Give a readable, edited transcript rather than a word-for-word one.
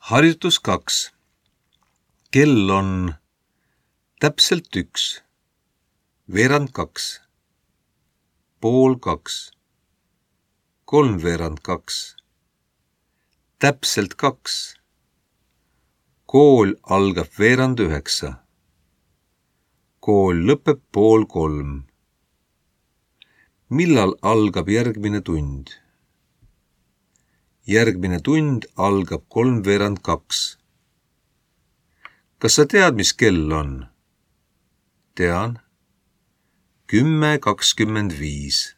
Harjutus 2. Kell on täpselt 1, veerand 2, pool 2, kolmveerand 2, täpselt 2. Kool algab veerand 9. Kool lõpeb pool 3. Millal algab järgmine tund? Järgmine tund algab kolmveerand 2. Kas sa tead, mis kell on? Tean. 10:25.